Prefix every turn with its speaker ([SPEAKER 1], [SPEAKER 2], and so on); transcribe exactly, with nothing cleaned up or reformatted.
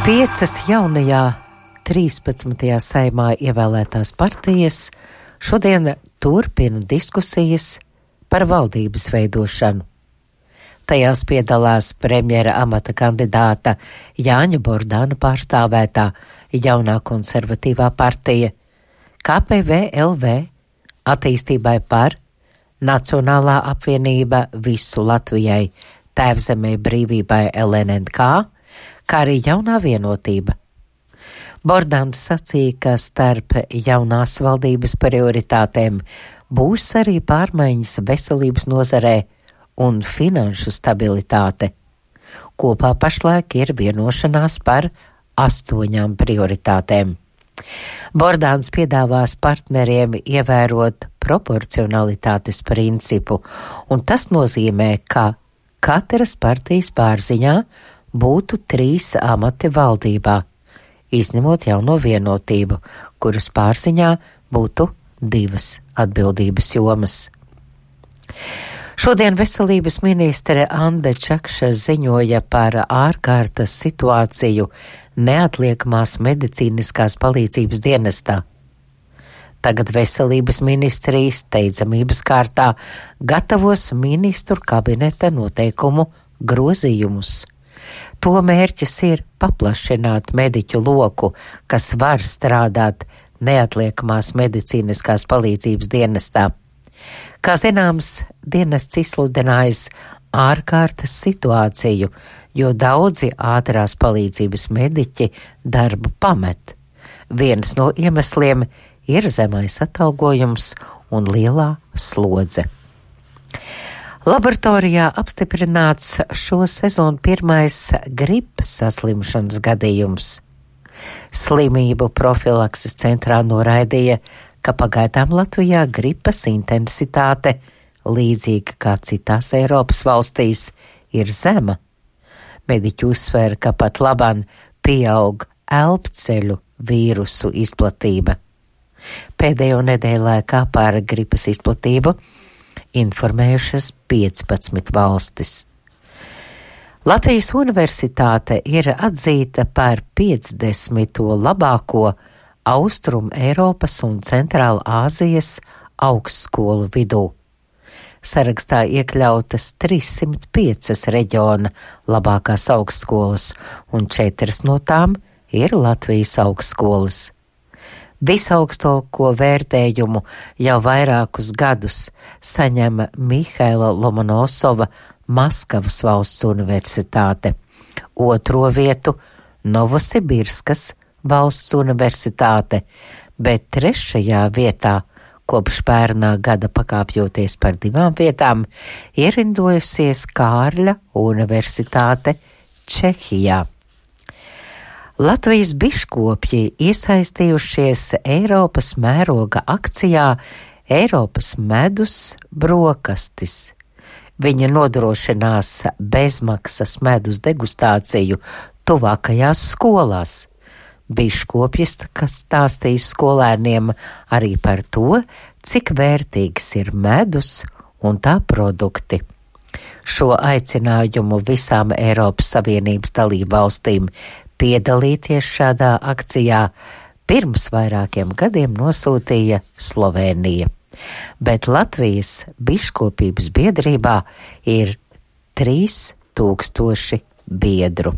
[SPEAKER 1] Piecas jaunajā trīspadsmitajā saimā ievēlētās partijas šodien turpina diskusijas par valdības veidošanu. Tajās piedalās premjera amata kandidāta Jāņa Bordāna pārstāvētā jaunā konservatīvā partija, K P V L V, attīstībai par, Nacionālā apvienība visu Latvijai, Tēvzemē brīvībai L N N K, kā arī jaunā vienotība. Bordāns sacīja, ka starp jaunās valdības prioritātēm būs arī pārmaiņas veselības nozarē un finanšu stabilitāte. Kopā pašlaik ir vienošanās par astoņām prioritātēm. Bordāns piedāvās partneriem ievērot proporcionalitātes principu, un tas nozīmē, ka katras partijas pārziņā būtu trīs amati valdībā, izņemot jauno vienotību, kuras pārziņā būtu divas atbildības jomas. Šodien veselības ministre Ande Čakša ziņoja par ārkārtas situāciju neatliekamās medicīniskās palīdzības dienestā. Tagad veselības ministrijas steidzamības kārtā gatavos ministru kabineta noteikumu grozījumus. To mērķis ir paplašināt mediķu loku, kas var strādāt neatliekamās medicīniskās palīdzības dienestā. Kā zināms, dienests izsludinājis ārkārtas situāciju, jo daudzi ātrās palīdzības mediķi darbu pamet. Viens no iemesliem ir zemais atalgojums un lielā slodze. Laboratorijā apstiprināts šo sezonu pirmais gripas saslimšanas gadījums. Slimību profilakses centrā noraidīja, ka pagaidām Latvijā gripas intensitāte, līdzīga kā citās Eiropas valstīs, ir zema. Mediķi uzsver, ka pat labāk pieaug elpceļu vīrusu izplatība. Pēdējo nedēļu laikā par gripas izplatību informējušas piecpadsmit valstis. Latvijas universitāte ir atzīta par piecdesmito labāko Austrum Eiropas un Centrāla Āzijas augstskolu vidū. Sarakstā iekļautas trīssimt piecas reģiona labākās augstskolas, un četras no tām ir Latvijas augstskolas. Visaugstāko vērtējumu jau vairākus gadus saņem Mihaila Lomonosova Maskavas valsts universitāte, otro vietu Novosibirskas valsts universitāte, bet trešajā vietā, kopš pērnā gada pakāpjoties par divām vietām, ierindojusies Kārļa universitāte Čehijā. Latvijas biškopji iesaistījušies Eiropas mēroga akcijā Eiropas medus brokastis. Viņi nodrošinās bezmaksas medus degustāciju tuvākajās skolās. Biškopji stāstīs skolēniem arī par to, cik vērtīgs ir medus un tā produkti. Šo aicinājumu visām Eiropas Savienības dalību valstīm piedalīties šādā akcijā pirms vairākiem gadiem nosūtīja Slovēnija, bet Latvijas biškopības biedrībā ir trīs tūkstoši biedru.